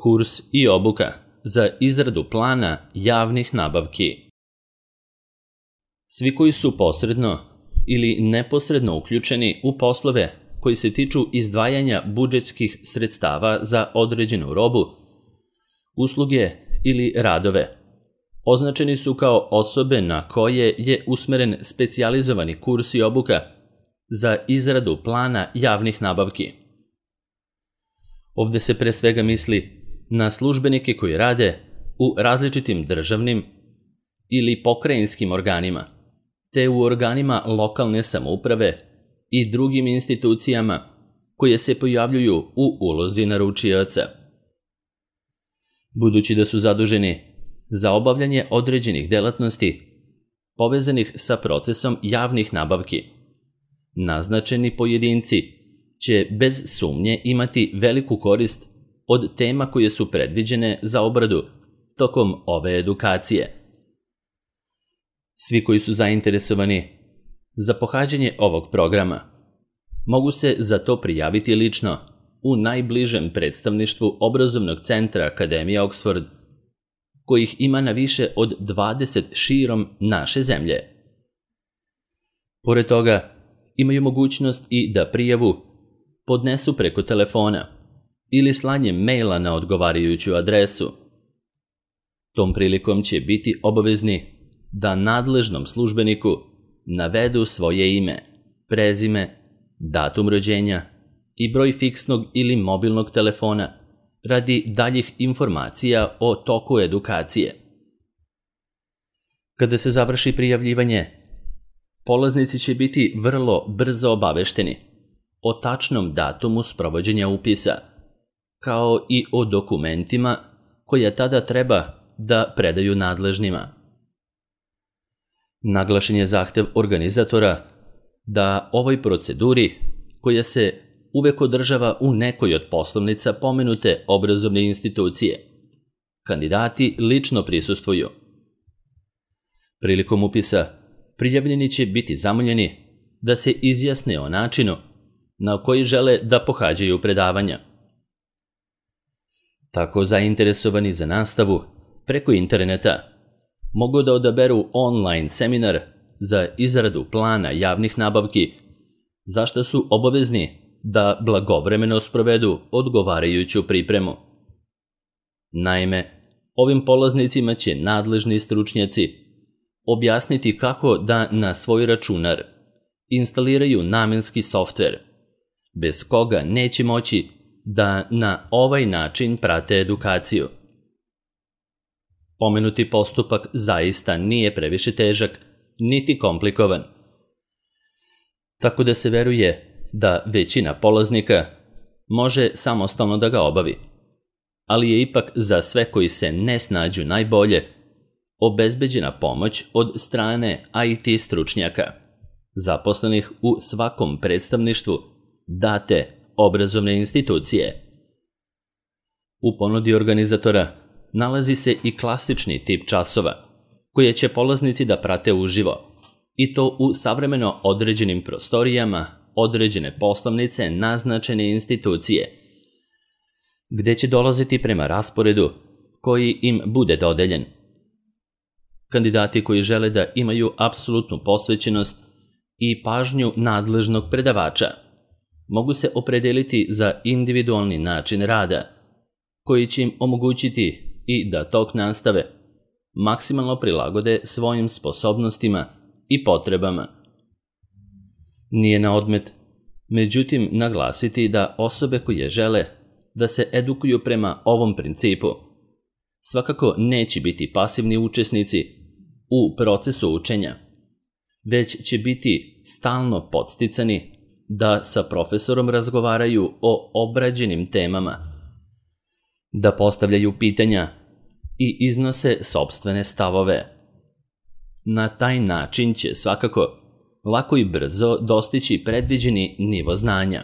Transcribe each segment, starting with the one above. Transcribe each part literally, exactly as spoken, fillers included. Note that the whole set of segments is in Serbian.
Kurs i obuka za izradu plana javnih nabavki. Svi koji su posredno ili neposredno uključeni u poslove koji se tiču izdvajanja budžetskih sredstava za određenu robu, usluge ili radove, označeni su kao osobe na koje je usmeren specijalizovani kurs i obuka za izradu plana javnih nabavki. Ovde se pre svega misli na službenike koji rade u različitim državnim ili pokrajinskim organima, te u organima lokalne samouprave i drugim institucijama koje se pojavljuju u ulozi naručioca. Budući da su zaduženi za obavljanje određenih delatnosti povezanih sa procesom javnih nabavki, naznačeni pojedinci će bez sumnje imati veliku korist od tema koje su predviđene za obradu tokom ove edukacije. Svi koji su zainteresovani za pohađanje ovog programa mogu se za to prijaviti lično u najbližem predstavništvu obrazovnog centra Akademije Oxford, kojih ima na više od dvadeset širom naše zemlje. Pored toga, imaju mogućnost i da prijavu podnesu preko telefona ili slanjem maila na odgovarajuću adresu. Tom prilikom će biti obavezni da nadležnom službeniku navedu svoje ime, prezime, datum rođenja i broj fiksnog ili mobilnog telefona radi daljih informacija o toku edukacije. Kada se završi prijavljivanje, polaznici će biti vrlo brzo obavešteni o tačnom datumu sprovođenja upisa, kao i o dokumentima koje tada treba da predaju nadležnima. Naglašen je zahtev organizatora da ovoj proceduri, koja se uvek održava u nekoj od poslovnica pomenute obrazovne institucije, kandidati lično prisustvuju. Prilikom upisa, prijavljeni će biti zamoljeni da se izjasne o načinu na koji žele da pohađaju predavanja. Tako zainteresovani za nastavu preko interneta mogu da odaberu online seminar za izradu plana javnih nabavki, za što su obavezni da blagovremeno sprovedu odgovarajuću pripremu. Naime, ovim polaznicima će nadležni stručnjaci objasniti kako da na svoj računar instaliraju namenski softver, bez koga neće moći da na ovaj način prate edukaciju. Pomenuti postupak zaista nije previše težak, niti komplikovan, tako da se veruje da većina polaznika može samostalno da ga obavi, ali je ipak za sve koji se ne snađu najbolje obezbeđena pomoć od strane I T stručnjaka, zaposlenih u svakom predstavništvu date obrazovne institucije. U ponudi organizatora nalazi se i klasični tip časova, koje će polaznici da prate uživo, i to u savremeno određenim prostorijama određene poslovnice naznačene institucije, gde će dolaziti prema rasporedu koji im bude dodeljen. Kandidati koji žele da imaju apsolutnu posvećenost i pažnju nadležnog predavača mogu se opredeliti za individualni način rada, koji će im omogućiti i da tok nastave maksimalno prilagode svojim sposobnostima i potrebama. Nije na odmet, međutim, naglasiti da osobe koje žele da se edukuju prema ovom principu svakako neće biti pasivni učesnici u procesu učenja, već će biti stalno podsticani da sa profesorom razgovaraju o obrađenim temama, da postavljaju pitanja i iznose sopstvene stavove. Na taj način će svakako lako i brzo dostići predviđeni nivo znanja,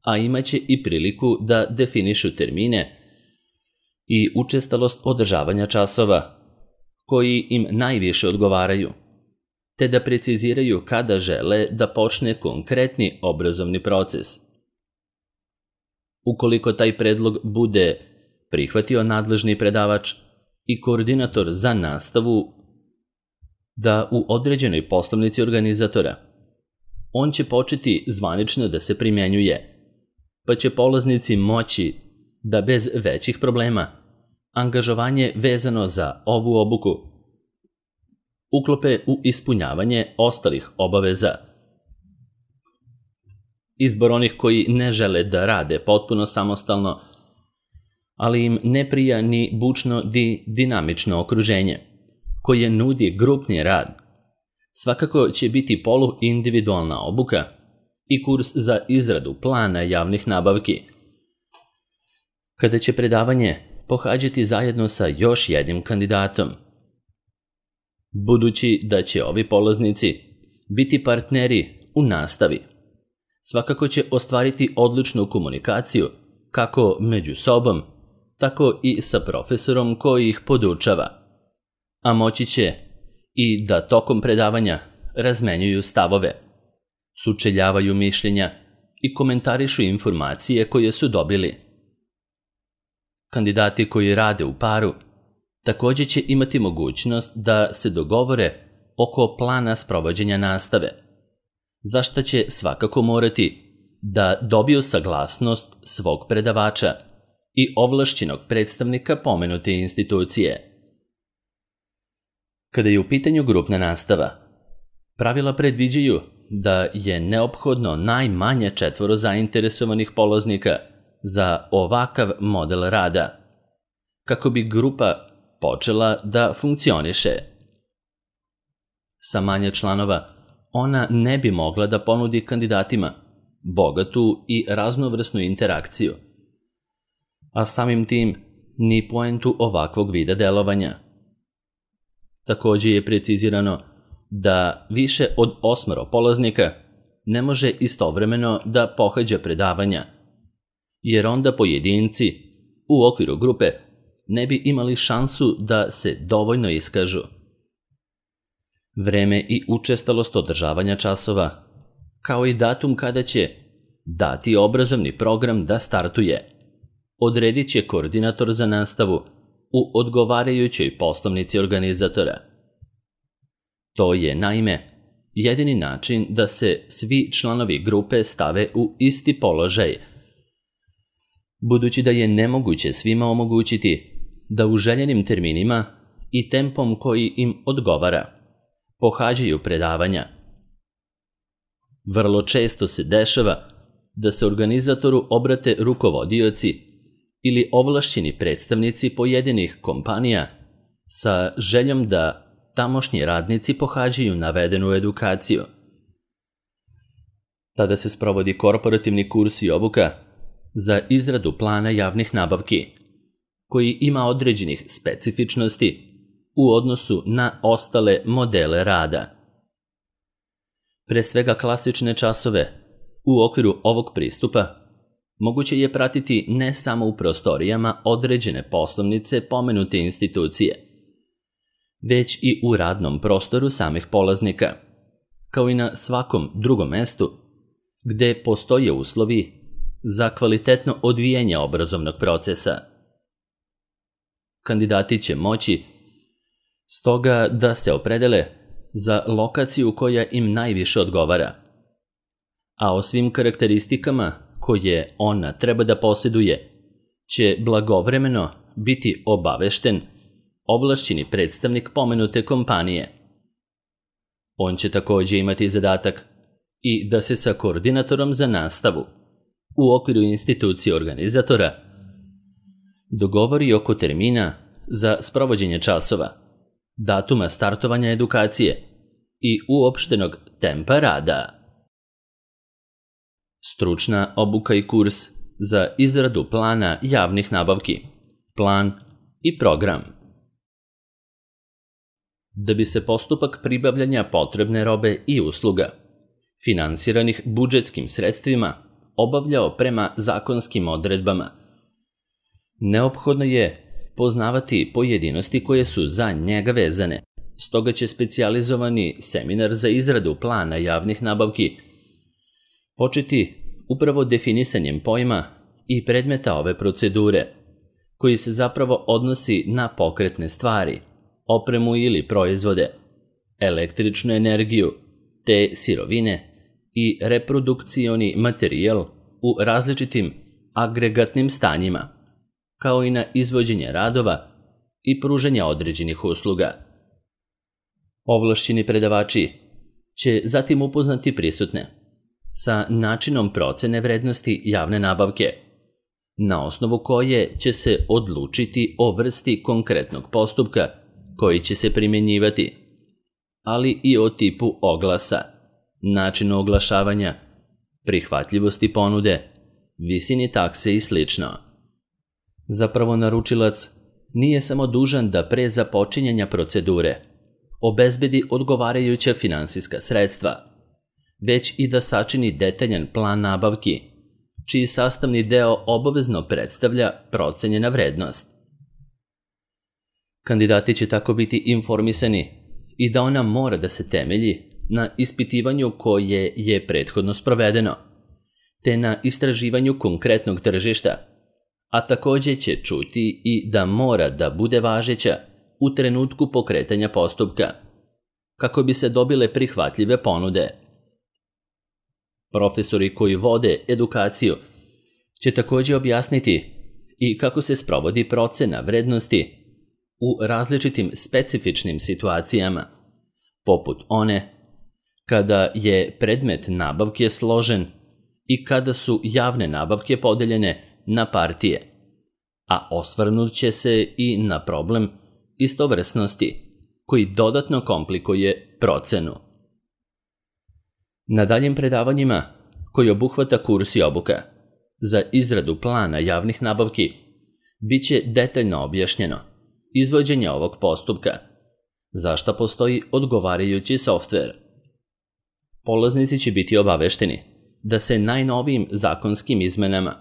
a imaće i priliku da definišu termine i učestalost održavanja časova koji im najviše odgovaraju, te da preciziraju kada žele da počne konkretni obrazovni proces. Ukoliko taj predlog bude prihvatio nadležni predavač i koordinator za nastavu da u određenoj poslovnici organizatora on će početi zvanično da se primjenjuje, pa će polaznici moći da bez većih problema angažovanje vezano za ovu obuku uklope u ispunjavanje ostalih obaveza. Izbor onih koji ne žele da rade potpuno samostalno, ali im ne prija ni bučno di dinamično okruženje, koje nudi grupni rad, svakako će biti poluindividualna obuka i kurs za izradu plana javnih nabavki, kada će predavanje pohađati zajedno sa još jednim kandidatom. Budući da će ovi polaznici biti partneri u nastavi, svakako će ostvariti odličnu komunikaciju kako među sobom, tako i sa profesorom koji ih podučava, a moći će i da tokom predavanja razmenjuju stavove, sučeljavaju mišljenja i komentarišu informacije koje su dobili. Kandidati koji rade u paru također će imati mogućnost da se dogovore oko plana sprovođenja nastave, za što će svakako morati da dobiju saglasnost svog predavača i ovlašćenog predstavnika pomenute institucije. Kada je u pitanju grupna nastava, pravila predviđaju da je neophodno najmanje četvoro zainteresovanih polaznika za ovakav model rada, kako bi grupa počela da funkcioniše. Sa manje članova ona ne bi mogla da ponudi kandidatima bogatu i raznovrsnu interakciju, a samim tim ni poentu ovakvog vida delovanja. Također je precizirano da više od osmoro polaznika ne može istovremeno da pohađa predavanja, jer onda pojedinci u okviru grupe ne bi imali šansu da se dovoljno iskažu. Vreme i učestalost održavanja časova, kao i datum kada će dati obrazovni program da startuje, odredit će koordinator za nastavu u odgovarajućoj poslovnici organizatora. To je, naime, jedini način da se svi članovi grupe stave u isti položaj, budući da je nemoguće svima omogućiti da u željenim terminima i tempom koji im odgovara pohađaju predavanja. Vrlo često se dešava da se organizatoru obrate rukovodioci ili ovlašćeni predstavnici pojedinih kompanija sa željom da tamošnji radnici pohađaju navedenu edukaciju. Tada se sprovodi korporativni kurs i obuka za izradu plana javnih nabavki, koji ima određenih specifičnosti u odnosu na ostale modele rada. Pre svega klasične časove u okviru ovog pristupa moguće je pratiti ne samo u prostorijama određene poslovnice pomenute institucije, već i u radnom prostoru samih polaznika, kao i na svakom drugom mestu gde postoje uslovi za kvalitetno odvijanje obrazovnog procesa. Kandidati će moći stoga da se opredele za lokaciju koja im najviše odgovara, a o svim karakteristikama koje ona treba da posjeduje će blagovremeno biti obavešten ovlašćeni predstavnik pomenute kompanije. On će također imati zadatak i da se sa koordinatorom za nastavu u okviru institucije organizatora dogovori oko termina za sprovođenje časova, datuma startovanja edukacije i uopštenog tempa rada. Stručna obuka i kurs za izradu plana javnih nabavki, plan i program. Da bi se postupak pribavljanja potrebne robe i usluga, finansiranih budžetskim sredstvima, obavljao prema zakonskim odredbama, neophodno je poznavati pojedinosti koje su za njega vezane. Stoga će specijalizovani seminar za izradu plana javnih nabavki početi upravo definisanjem pojma i predmeta ove procedure, koji se zapravo odnosi na pokretne stvari, opremu ili proizvode, električnu energiju, te sirovine i reprodukcioni materijal u različitim agregatnim stanjima, kao i na izvođenje radova i pružanje određenih usluga. Ovlašćeni predavači će zatim upoznati prisutne sa načinom procene vrednosti javne nabavke, na osnovu koje će se odlučiti o vrsti konkretnog postupka koji će se primjenjivati, ali i o tipu oglasa, načinu oglašavanja, prihvatljivosti ponude, visini takse i sl. Zapravo naručilac nije samo dužan da pre započinjanja procedure obezbedi odgovarajuća finansijska sredstva, već i da sačini detaljan plan nabavki, čiji sastavni deo obavezno predstavlja procenjena vrednost. Kandidati će tako biti informisani i da ona mora da se temelji na ispitivanju koje je prethodno sprovedeno, te na istraživanju konkretnog tržišta, a takođe će čuti i da mora da bude važeća u trenutku pokretanja postupka, kako bi se dobile prihvatljive ponude. Profesori koji vode edukaciju će takođe objasniti i kako se sprovodi procena vrednosti u različitim specifičnim situacijama, poput one kada je predmet nabavke složen i kada su javne nabavke podeljene na partije, a osvrnut će se i na problem istovrsnosti koji dodatno komplikuje procenu. Na daljim predavanjima, koji obuhvata kurs i obuka za izradu plana javnih nabavki, bit će detaljno objašnjeno izvođenje ovog postupka, za šta postoji odgovarajući softver. Polaznici će biti obavešteni da se najnovijim zakonskim izmenama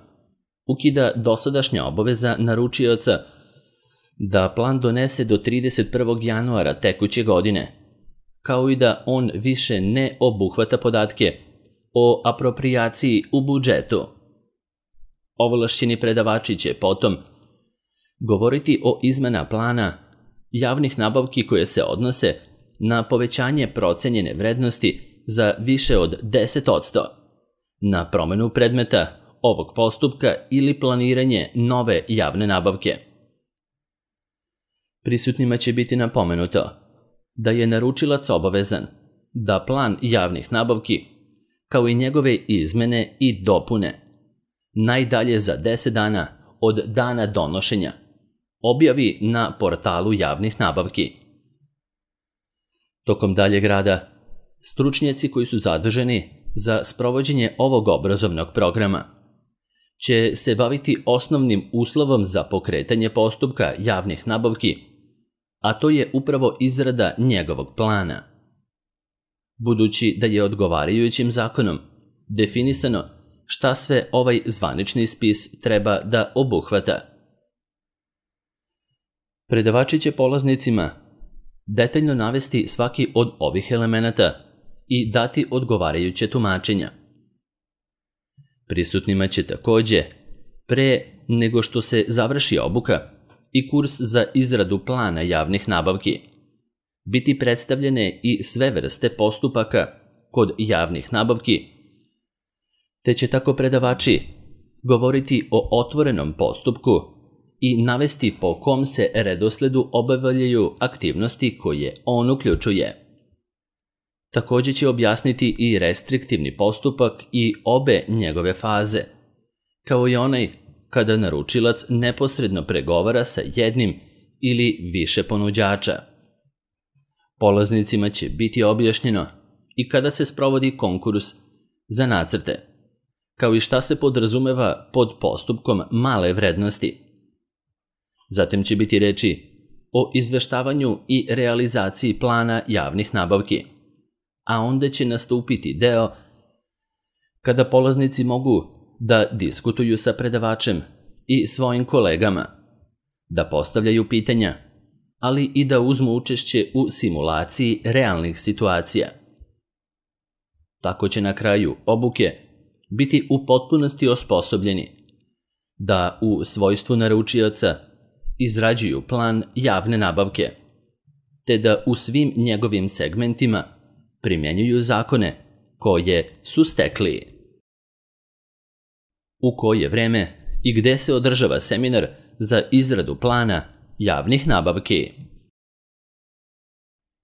ukida dosadašnja obaveza naručioca da plan donese do trideset prvog januara tekuće godine, kao i da on više ne obuhvata podatke o aproprijaciji u budžetu. Ovlašćeni predavači će potom govoriti o izmena plana javnih nabavki koje se odnose na povećanje procenjene vrednosti za više od deset posto, na promenu predmeta ovog postupka ili planiranje nove javne nabavke. Prisutnima će biti napomenuto da je naručilac obavezan da plan javnih nabavki, kao i njegove izmene i dopune, najdalje za deset dana od dana donošenja, objavi na portalu javnih nabavki. Tokom daljeg rada, stručnjaci koji su zaduženi za sprovođenje ovog obrazovnog programa će se baviti osnovnim uslovom za pokretanje postupka javnih nabavki, a to je upravo izrada njegovog plana. Budući da je odgovarajućim zakonom definisano šta sve ovaj zvanični spis treba da obuhvata. Predavači će polaznicima detaljno navesti svaki od ovih elemenata i dati odgovarajuće tumačenja. Prisutnima će takođe, pre nego što se završi obuka i kurs za izradu plana javnih nabavki, biti predstavljene i sve vrste postupaka kod javnih nabavki, te će tako predavači govoriti o otvorenom postupku i navesti po kom se redosledu obavljaju aktivnosti koje on uključuje. Takođe će objasniti i restriktivni postupak i obe njegove faze, kao i onaj kada naručilac neposredno pregovara sa jednim ili više ponuđača. Polaznicima će biti objašnjeno i kada se sprovodi konkurs za nacrte, kao i šta se podrazumeva pod postupkom male vrednosti. Zatim će biti reči o izveštavanju i realizaciji plana javnih nabavki, a onda će nastupiti deo kada polaznici mogu da diskutuju sa predavačem i svojim kolegama, da postavljaju pitanja, ali i da uzmu učešće u simulaciji realnih situacija. Tako će na kraju obuke biti u potpunosti osposobljeni da u svojstvu naručioca izrađuju plan javne nabavke, te da u svim njegovim segmentima primjenjuju zakone koje su stekli. U koje vreme i gde se održava seminar za izradu plana javnih nabavki?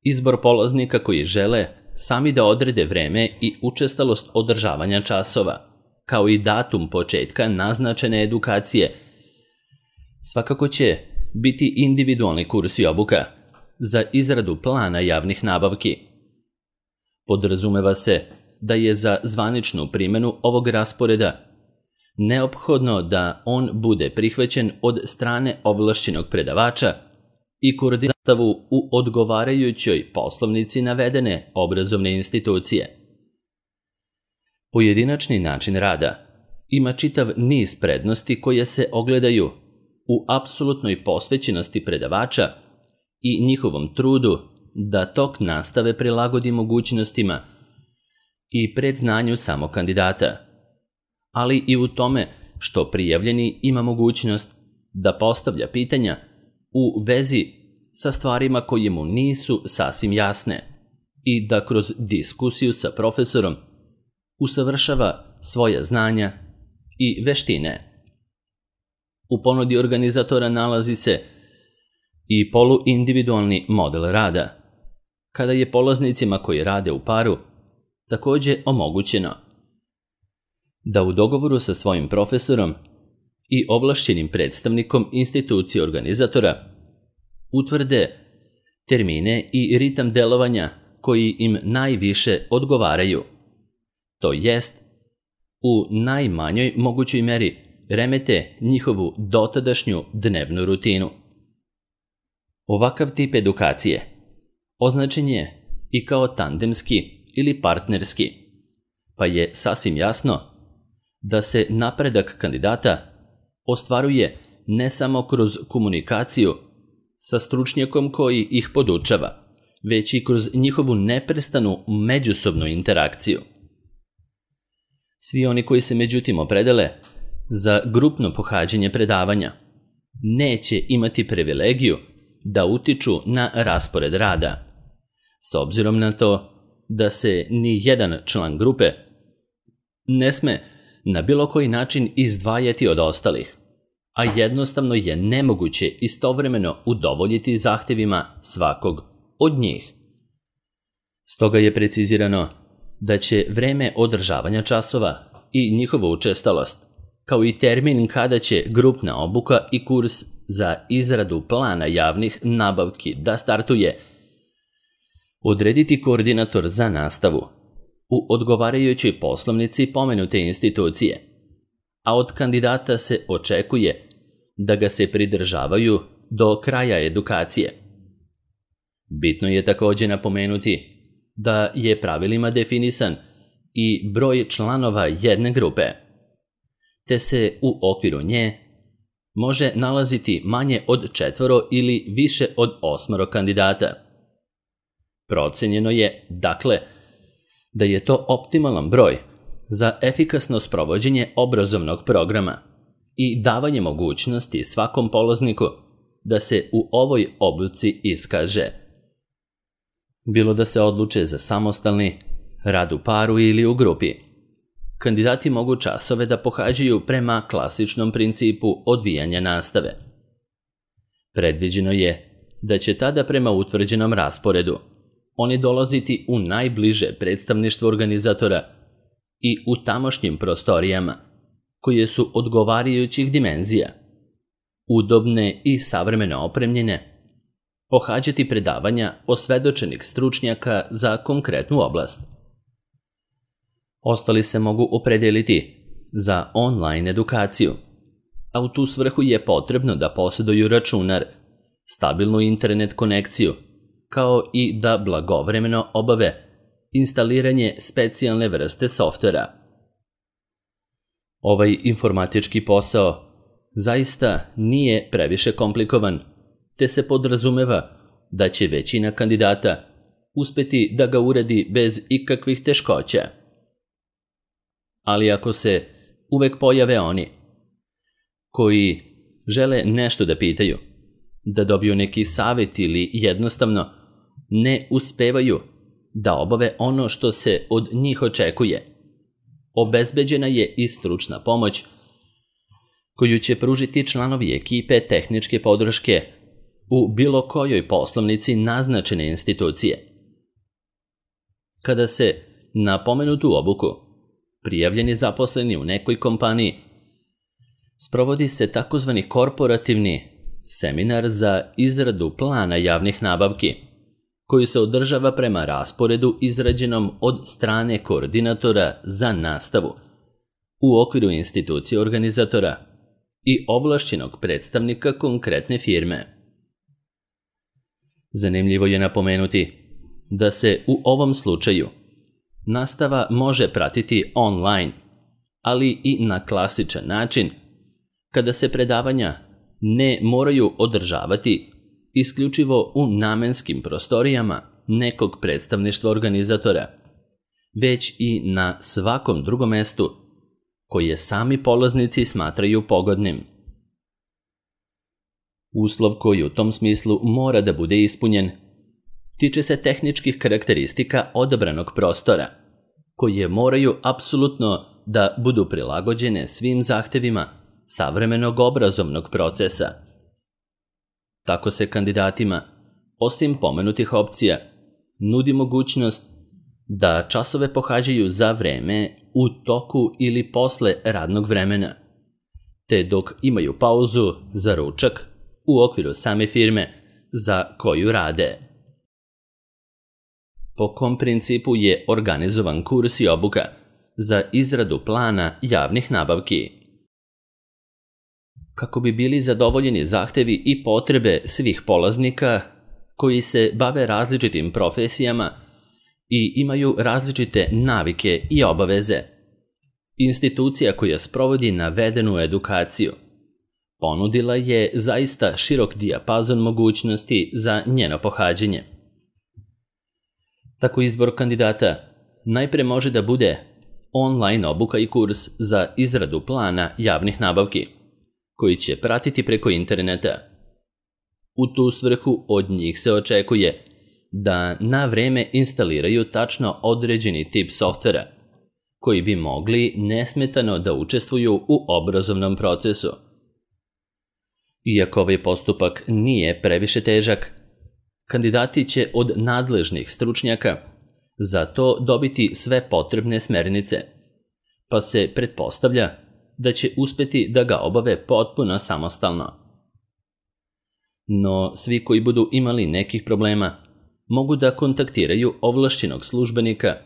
Izbor polaznika koji žele sami da odrede vreme i učestalost održavanja časova, kao i datum početka naznačene edukacije, svakako će biti individualni kurs i obuka za izradu plana javnih nabavki. Podrazumeva se da je za zvaničnu primjenu ovog rasporeda neophodno da on bude prihvaćen od strane ovlašćenog predavača i koordinastavu u odgovarajućoj poslovnici navedene obrazovne institucije. Pojedinačni način rada ima čitav niz prednosti koje se ogledaju u apsolutnoj posvećenosti predavača i njihovom trudu da tok nastave prilagodi mogućnostima i predznanju samog kandidata, ali i u tome što prijavljeni ima mogućnost da postavlja pitanja u vezi sa stvarima koje mu nisu sasvim jasne i da kroz diskusiju sa profesorom usavršava svoja znanja i veštine. U ponudi organizatora nalazi se i poluindividualni model rada, kada je polaznicima koji rade u paru također omogućeno da u dogovoru sa svojim profesorom i ovlašćenim predstavnikom institucije organizatora utvrde termine i ritam delovanja koji im najviše odgovaraju, to jest u najmanjoj mogućoj meri remete njihovu dotadašnju dnevnu rutinu. Ovakav tip edukacije označen je i kao tandemski ili partnerski, pa je sasvim jasno da se napredak kandidata ostvaruje ne samo kroz komunikaciju sa stručnjakom koji ih podučava, već i kroz njihovu neprestanu međusobnu interakciju. Svi oni koji se međutim opredele za grupno pohađanje predavanja neće imati privilegiju da utiču na raspored rada, s obzirom na to da se ni jedan član grupe ne sme na bilo koji način izdvajati od ostalih, a jednostavno je nemoguće istovremeno udovoljiti zahtjevima svakog od njih. Stoga je precizirano da će vreme održavanja časova i njihova učestalost, kao i termin kada će grupna obuka i kurs za izradu plana javnih nabavki da startuje, odrediti koordinator za nastavu u odgovarajućoj poslovnici pomenute institucije, a od kandidata se očekuje da ga se pridržavaju do kraja edukacije. Bitno je također napomenuti da je pravilima definisan i broj članova jedne grupe, te se u okviru nje može nalaziti manje od četvoro ili više od osmoro kandidata. Procenjeno je, dakle, da je to optimalan broj za efikasno sprovođenje obrazovnog programa i davanje mogućnosti svakom polazniku da se u ovoj obuci iskaže. Bilo da se odluče za samostalni rad u paru ili u grupi, kandidati mogu časove da pohađaju prema klasičnom principu odvijanja nastave. Predviđeno je da će tada prema utvrđenom rasporedu oni dolaziti u najbliže predstavništvo organizatora i u tamošnjim prostorijama, koje su odgovarajućih dimenzija, udobne i savremeno opremljene, pohađati predavanja osvedočenih stručnjaka za konkretnu oblast. Ostali se mogu opredeliti za online edukaciju, a u tu svrhu je potrebno da posjeduju računar, stabilnu internet konekciju, kao i da blagovremeno obave instaliranje specijalne vrste softvera. Ovaj informatički posao zaista nije previše komplikovan, te se podrazumeva da će većina kandidata uspjeti da ga uredi bez ikakvih teškoća. Ali ako se uvek pojave oni koji žele nešto da pitaju, da dobiju neki savjet ili jednostavno ne uspevaju da obave ono što se od njih očekuje. Obezbeđena je i stručna pomoć koju će pružiti članovi ekipe tehničke podrške u bilo kojoj poslovnici naznačene institucije. Kada se na pomenutu obuku prijavljeni zaposleni u nekoj kompaniji, sprovodi se takozvani korporativni seminar za izradu plana javnih nabavki, koji se održava prema rasporedu izrađenom od strane koordinatora za nastavu u okviru institucije organizatora i ovlašćenog predstavnika konkretne firme. Zanimljivo je napomenuti da se u ovom slučaju nastava može pratiti online, ali i na klasičan način, kada se predavanja ne moraju održavati isključivo u namenskim prostorijama nekog predstavništva organizatora, već i na svakom drugom mestu koje sami polaznici smatraju pogodnim. Uslov koji u tom smislu mora da bude ispunjen tiče se tehničkih karakteristika odabranog prostora, koje moraju apsolutno da budu prilagođene svim zahtevima savremenog obrazovnog procesa. Tako se kandidatima, osim pomenutih opcija, nudi mogućnost da časove pohađaju za vreme u toku ili posle radnog vremena, te dok imaju pauzu za ručak u okviru same firme za koju rade. Po kom principu je organizovan kurs i obuka za izradu plana javnih nabavki? Kako bi bili zadovoljeni zahtevi i potrebe svih polaznika koji se bave različitim profesijama i imaju različite navike i obaveze, institucija koja sprovodi navedenu edukaciju ponudila je zaista širok dijapazon mogućnosti za njeno pohađanje. Tako izbor kandidata najpre može da bude online obuka i kurs za izradu plana javnih nabavki, koji će pratiti preko interneta. U tu svrhu od njih se očekuje da na vreme instaliraju tačno određeni tip softvera, koji bi mogli nesmetano da učestvuju u obrazovnom procesu. Iako ovaj postupak nije previše težak, kandidati će od nadležnih stručnjaka za to dobiti sve potrebne smernice, pa se pretpostavlja da će uspeti da ga obave potpuno samostalno. No, svi koji budu imali nekih problema mogu da kontaktiraju ovlašćenog službenika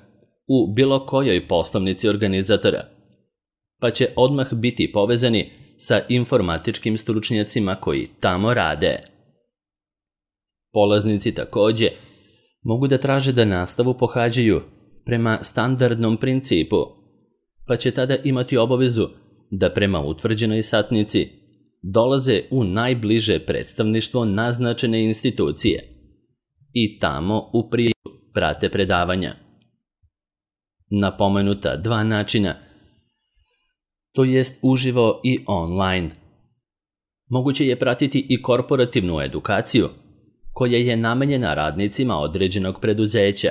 u bilo kojoj poslovnici organizatora, pa će odmah biti povezani sa informatičkim stručnjacima koji tamo rade. Polaznici takođe mogu da traže da nastavu pohađaju prema standardnom principu, pa će tada imati obavezu da prema utvrđenoj satnici dolaze u najbliže predstavništvo naznačene institucije i tamo u prijeju prate predavanja. Na pomenuta dva načina, to jest uživo i online, moguće je pratiti i korporativnu edukaciju koja je namenjena radnicima određenog preduzeća.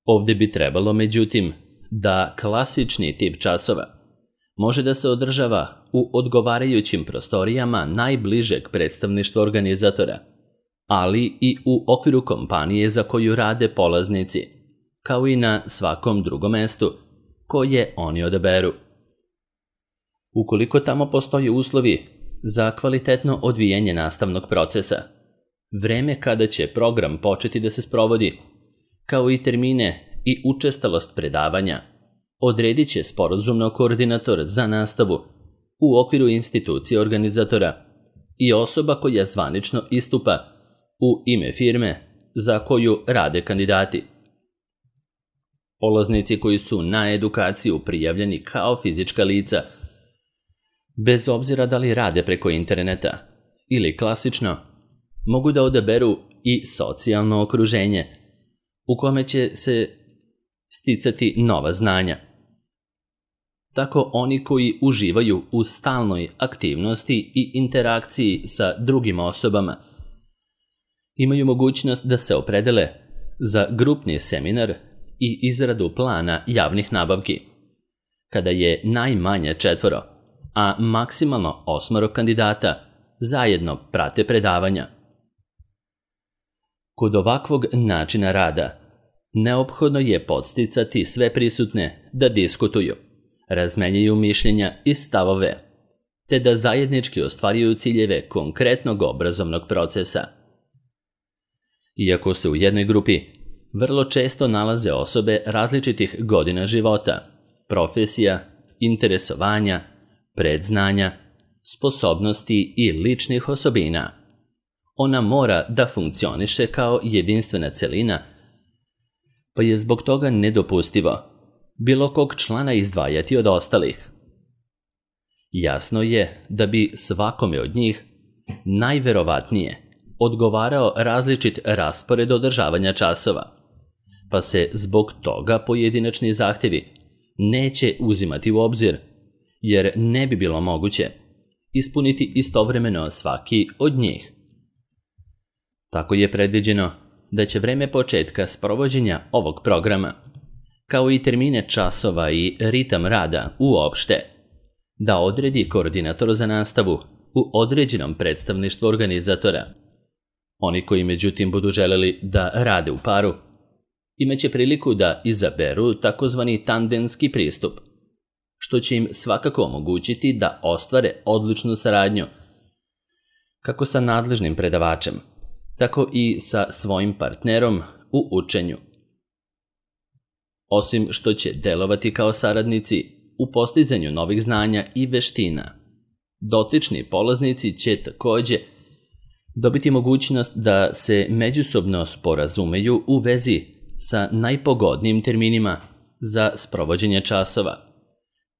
Ovde bi trebalo, međutim, da klasični tip časova može da se održava u odgovarajućim prostorijama najbližeg predstavništva organizatora, ali i u okviru kompanije za koju rade polaznici, kao i na svakom drugom mestu koje oni odaberu. Ukoliko tamo postoje uslovi za kvalitetno odvijanje nastavnog procesa, vreme kada će program početi da se sprovodi, kao i termine i učestalost predavanja, odredit će sporazumno koordinator za nastavu u okviru institucije organizatora i osoba koja zvanično istupa u ime firme za koju rade kandidati. Polaznici koji su na edukaciju prijavljeni kao fizička lica, bez obzira da li rade preko interneta ili klasično, mogu da odaberu i socijalno okruženje u kome će se sticati nova znanja. tako oni koji uživaju u stalnoj aktivnosti i interakciji sa drugim osobama imaju mogućnost da se opredele za grupni seminar i izradu plana javnih nabavki, kada je najmanje četvoro, a maksimalno osmoro kandidata zajedno prate predavanja. Kod ovakvog načina rada neophodno je podsticati sve prisutne da diskutuju, razmenjuju mišljenja i stavove, te da zajednički ostvaruju ciljeve konkretnog obrazovnog procesa. Iako se u jednoj grupi vrlo često nalaze osobe različitih godina života, profesija, interesovanja, predznanja, sposobnosti i ličnih osobina, ona mora da funkcioniše kao jedinstvena celina, pa je zbog toga nedopustivo bilo kog člana izdvajati od ostalih. Jasno je da bi svakome od njih najverovatnije odgovarao različit raspored održavanja časova, pa se zbog toga pojedinačni zahtjevi neće uzimati u obzir, jer ne bi bilo moguće ispuniti istovremeno svaki od njih. Tako je predviđeno da će vreme početka sprovođenja ovog programa, kao i termine časova i ritam rada uopšte, da odredi koordinator za nastavu u određenom predstavništvu organizatora. Oni koji međutim budu želeli da rade u paru, imaće priliku da izaberu takozvani tandemski pristup, što će im svakako omogućiti da ostvare odličnu saradnju, kako sa nadležnim predavačem, tako i sa svojim partnerom u učenju. Osim što će delovati kao saradnici u postizanju novih znanja i veština, dotični polaznici će takođe dobiti mogućnost da se međusobno sporazumeju u vezi sa najpogodnijim terminima za sprovođenje časova,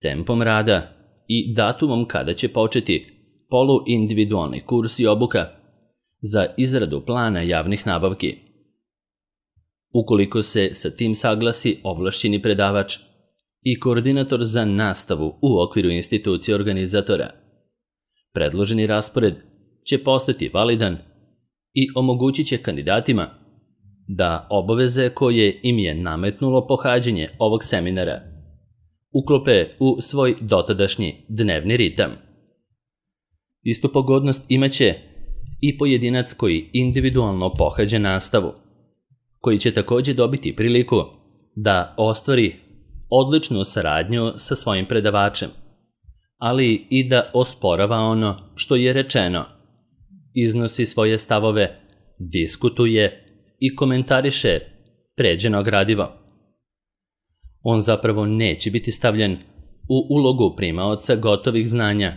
tempom rada i datumom kada će početi poluindividualni kurs i obuka za izradu plana javnih nabavki. Ukoliko se sa tim saglasi ovlašćeni predavač i koordinator za nastavu u okviru institucije organizatora, predloženi raspored će postati validan i omogućit će kandidatima da obaveze koje im je nametnulo pohađanje ovog seminara uklope u svoj dotadašnji dnevni ritam. Istu pogodnost imaće i pojedinac koji individualno pohađa nastavu, koji će takođe dobiti priliku da ostvari odličnu saradnju sa svojim predavačem, ali i da osporava ono što je rečeno, iznosi svoje stavove, diskutuje i komentariše pređeno gradivo. On zapravo neće biti stavljen u ulogu primaoca gotovih znanja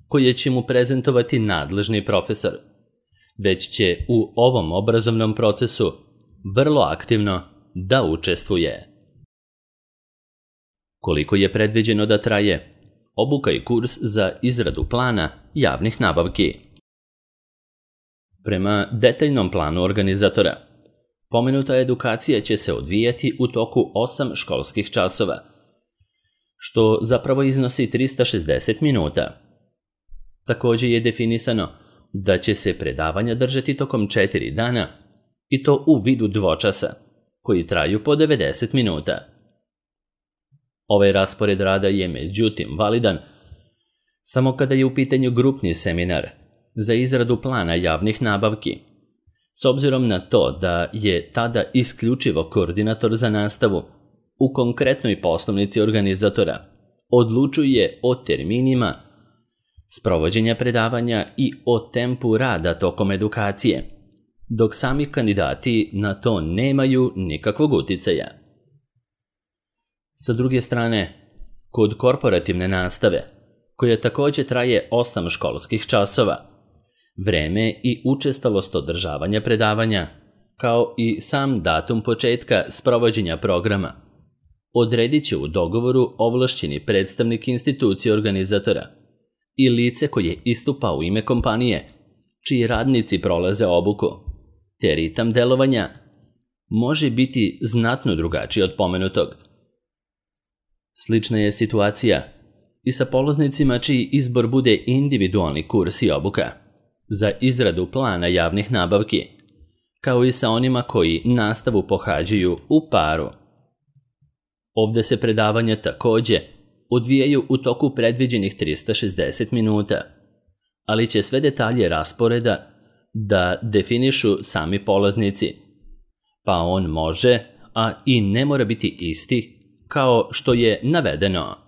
koje će mu prezentovati nadležni profesor, već će u ovom obrazovnom procesu vrlo aktivno da učestvuje. Koliko je predviđeno da traje obuka i kurs za izradu plana javnih nabavki? Prema detaljnom planu organizatora, pomenuta edukacija će se odvijati u toku osam školskih časova, što zapravo iznosi trista šezdeset minuta. Takođe je definisano da će se predavanja držati tokom četiri dana i to u vidu dvočasa, koji traju po devedeset minuta. Ovaj raspored rada je međutim validan samo kada je u pitanju grupni seminar za izradu plana javnih nabavki, s obzirom na to da je tada isključivo koordinator za nastavu u konkretnoj poslovnici organizatora odlučuje o terminima sprovođenja predavanja i o tempu rada tokom edukacije, dok sami kandidati na to nemaju nikakvog uticaja. Sa druge strane, kod korporativne nastave, koja takođe traje osam školskih časova, vreme i učestalost održavanja predavanja, kao i sam datum početka sprovođenja programa, odredit će u dogovoru ovlašćeni predstavnik institucije organizatora i lice koje istupa u ime kompanije, čiji radnici prolaze obuku, te ritam delovanja može biti znatno drugačiji od pomenutog. Slična je situacija i sa polaznicima čiji izbor bude individualni kurs i obuka za izradu plana javnih nabavki, kao i sa onima koji nastavu pohađaju u paru. Ovde se predavanja takođe odvijaju u toku predviđenih trista šezdeset minuta, ali će sve detalje rasporeda da definišu sami polaznici, pa on može, a i ne mora biti isti kao što je navedeno.